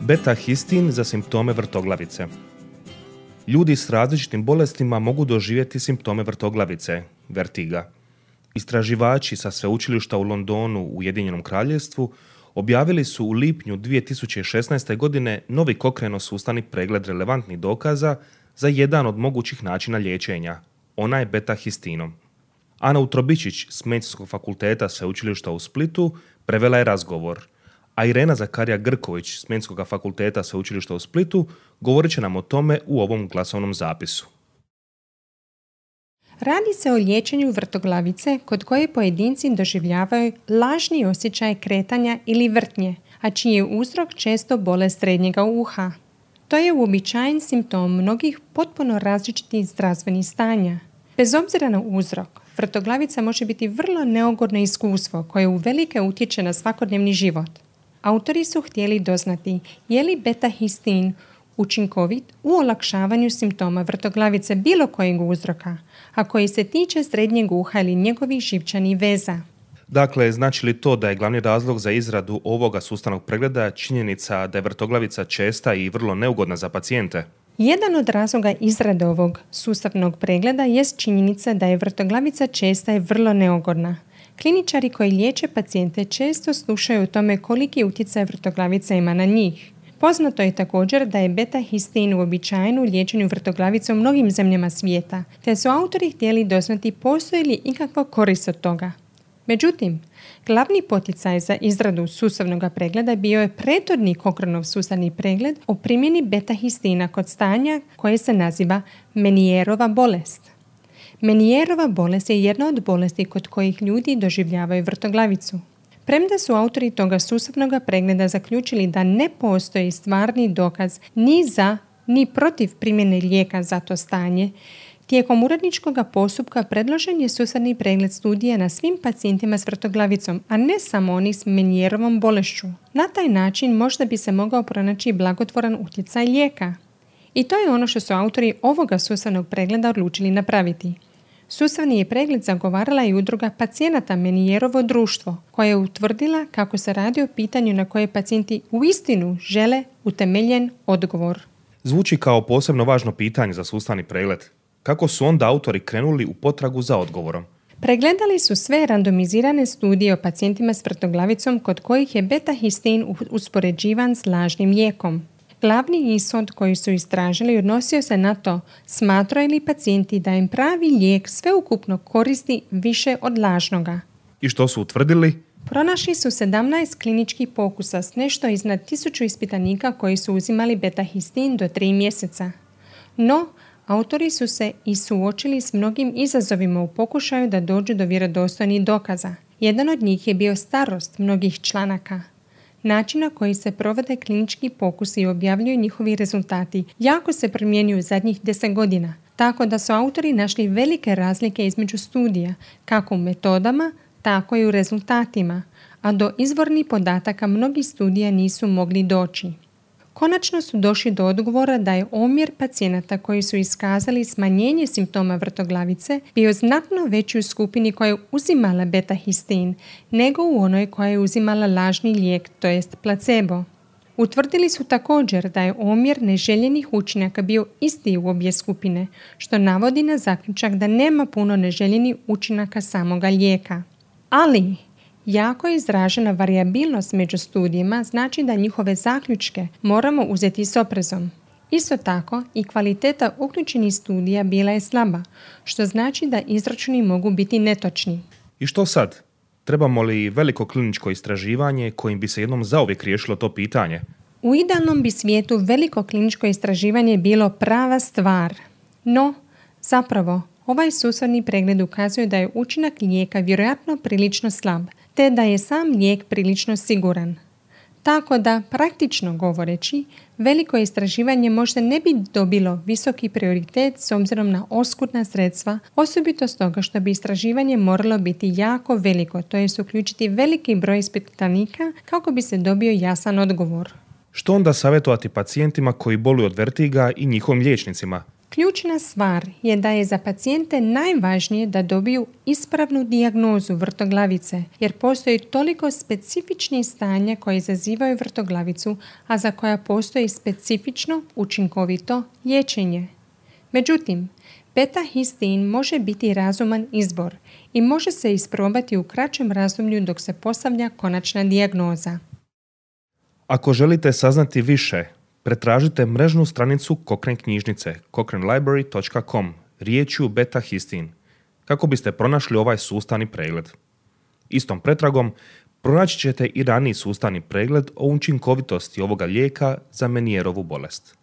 Beta-histin za simptome vrtoglavice. Ljudi s različitim bolestima mogu doživjeti simptome vrtoglavice, vertiga. Istraživači sa sveučilišta u Londonu u Ujedinjenom Kraljevstvu objavili su u lipnju 2016. godine novi kokreno-sustavni pregled relevantnih dokaza za jedan od mogućih načina liječenja, onaj beta-histinom. Ana Utrobičić s Medicinskog fakulteta Sveučilišta u Splitu prevela je razgovor, a Irena Zakarija-Grković s Medicinskog fakulteta Sveučilišta u Splitu govorit će nam o tome u ovom glasovnom zapisu. Radi se o liječenju vrtoglavice kod koje pojedinci doživljavaju lažni osjećaj kretanja ili vrtnje, a čiji je uzrok često bolest srednjega uha. To je uobičajen simptom mnogih potpuno različitih zdravstvenih stanja. Bez obzira na uzrok, vrtoglavica može biti vrlo neugodno iskustvo koje uvelike utječe na svakodnevni život. Autori su htjeli doznati je li beta-histin učinkovit u olakšavanju simptoma vrtoglavice bilo kojeg uzroka, a koji se tiče srednjeg uha ili njegovih živčanih veza. Dakle, znači li to da je glavni razlog za izradu ovoga sustavnog pregleda činjenica da je vrtoglavica česta i vrlo neugodna za pacijente? Jedan od razloga izrade ovog sustavnog pregleda jest činjenica da je vrtoglavica česta i vrlo neugodna. Kliničari koji liječe pacijente često slušaju o tome koliki utjecaj vrtoglavica ima na njih. Poznato je također da je beta-histin uobičajen u liječenju vrtoglavice u mnogim zemljama svijeta, te su autori htjeli doznati postoji li ikakva korist od toga. Međutim, glavni poticaj za izradu sustavnog pregleda bio je prethodni Cochraneov sustavni pregled o primjeni beta-histina kod stanja koje se naziva Menierova bolest. Menierova bolest je jedna od bolesti kod kojih ljudi doživljavaju vrtoglavicu. Premda su autori toga sustavnog pregleda zaključili da ne postoji stvarni dokaz ni za ni protiv primjene lijeka za to stanje, tijekom uredničkog postupka predložen je sustavni pregled studija na svim pacijentima s vrtoglavicom, a ne samo oni s Menierovom bolešću. Na taj način možda bi se mogao pronaći blagotvoran utjecaj lijeka. I to je ono što su autori ovoga sustavnog pregleda odlučili napraviti. Sustavni je pregled zagovarala i udruga pacijenata Menierovo društvo, koja je utvrdila kako se radi o pitanju na koje pacijenti uistinu žele utemeljen odgovor. Zvuči kao posebno važno pitanje za sustavni pregled. Kako su onda autori krenuli u potragu za odgovorom? Pregledali su sve randomizirane studije o pacijentima s vrtoglavicom kod kojih je beta-histin uspoređivan s lažnim lijekom. Glavni ishod koji su istražili odnosio se na to smatraju li pacijenti da im pravi lijek sveukupno koristi više od lažnoga. I što su utvrdili? Pronašli su 17 kliničkih pokusa s nešto iznad 1000 ispitanika koji su uzimali beta-histin do 3 mjeseca. No, autori su se i suočili s mnogim izazovima u pokušaju da dođu do vjerodostojnih dokaza. Jedan od njih je bio starost mnogih članaka. Način na koji se provode klinički pokusi i objavljuju njihovi rezultati jako se primjenjuju zadnjih 10 godina, tako da su autori našli velike razlike između studija, kako u metodama, tako i u rezultatima, a do izvornih podataka mnogih studija nisu mogli doći. Konačno su došli do odgovora da je omjer pacijenata koji su iskazali smanjenje simptoma vrtoglavice bio znatno veći u skupini koja je uzimala beta-histin nego u onoj koja je uzimala lažni lijek, to jest placebo. Utvrdili su također da je omjer neželjenih učinaka bio isti u obje skupine, što navodi na zaključak da nema puno neželjenih učinaka samoga lijeka. Ali jako je izražena varijabilnost među studijima, znači da njihove zaključke moramo uzeti s oprezom. Isto tako i kvaliteta uključenih studija bila je slaba, što znači da izračuni mogu biti netočni. I što sad? Trebamo li veliko kliničko istraživanje kojim bi se jednom zauvijek riješilo to pitanje? U idealnom bi svijetu veliko kliničko istraživanje bilo prava stvar. No, zapravo, ovaj sustavni pregled ukazuje da je učinak lijeka vjerojatno prilično slab, te da je sam lijek prilično siguran. Tako da, praktično govoreći, veliko istraživanje možda ne bi dobilo visoki prioritet s obzirom na oskudna sredstva, osobito stoga što bi istraživanje moralo biti jako veliko, to jest uključiti veliki broj ispitanika kako bi se dobio jasan odgovor. Što onda savjetovati pacijentima koji boluju od vertiga i njihovim liječnicima? Ključna stvar je da je za pacijente najvažnije da dobiju ispravnu dijagnozu vrtoglavice, jer postoji toliko specifičnih stanja koje izazivaju vrtoglavicu, a za koja postoji specifično učinkovito liječenje. Međutim, beta-histin može biti razuman izbor i može se isprobati u kraćem razdoblju dok se postavlja konačna dijagnoza. Ako želite saznati više, pretražite mrežnu stranicu Cochrane knjižnice cochranelibrary.com riječju beta-histin kako biste pronašli ovaj sustavni pregled. Istom pretragom pronaći ćete i raniji sustavni pregled o učinkovitosti ovoga lijeka za Menierovu bolest.